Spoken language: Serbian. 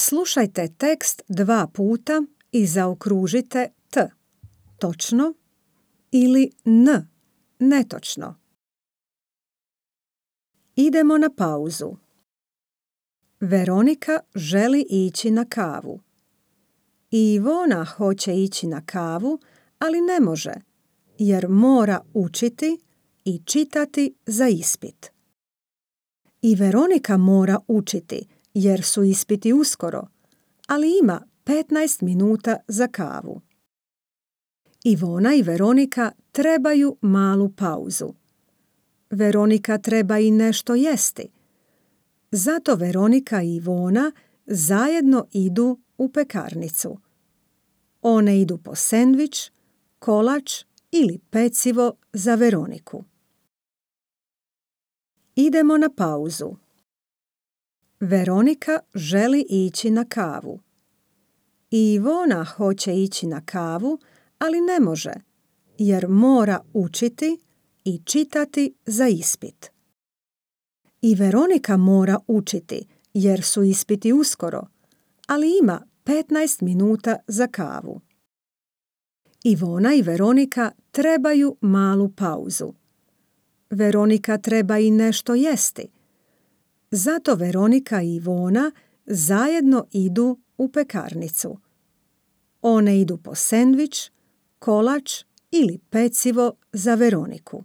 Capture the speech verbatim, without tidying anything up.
Slušajte tekst dva puta i zaokružite T, točno, ili N, netočno. Idemo na pauzu. Veronika želi ići na kavu. I Ivona hoće ići na kavu, ali ne može, jer mora učiti i čitati za ispit. I Veronika mora učiti, jer su ispiti uskoro, ali ima petnaest minuta za kavu. Ivona i Veronika trebaju malu pauzu. Veronika treba i nešto jesti. Zato Veronika i Ivona zajedno idu u pekarnicu. One idu po sendvič, kolač ili pecivo za Veroniku. Idemo na pauzu. Veronika želi ići na kavu. I Ivona hoće ići na kavu, ali ne može, jer mora učiti i čitati za ispit. I Veronika mora učiti, jer su ispiti uskoro, ali ima petnaest minuta za kavu. Ivona i Veronika trebaju malu pauzu. Veronika treba i nešto jesti. Zato Veronika i Ivona zajedno idu u pekarnicu. One idu po sendvič, kolač ili pecivo za Veroniku.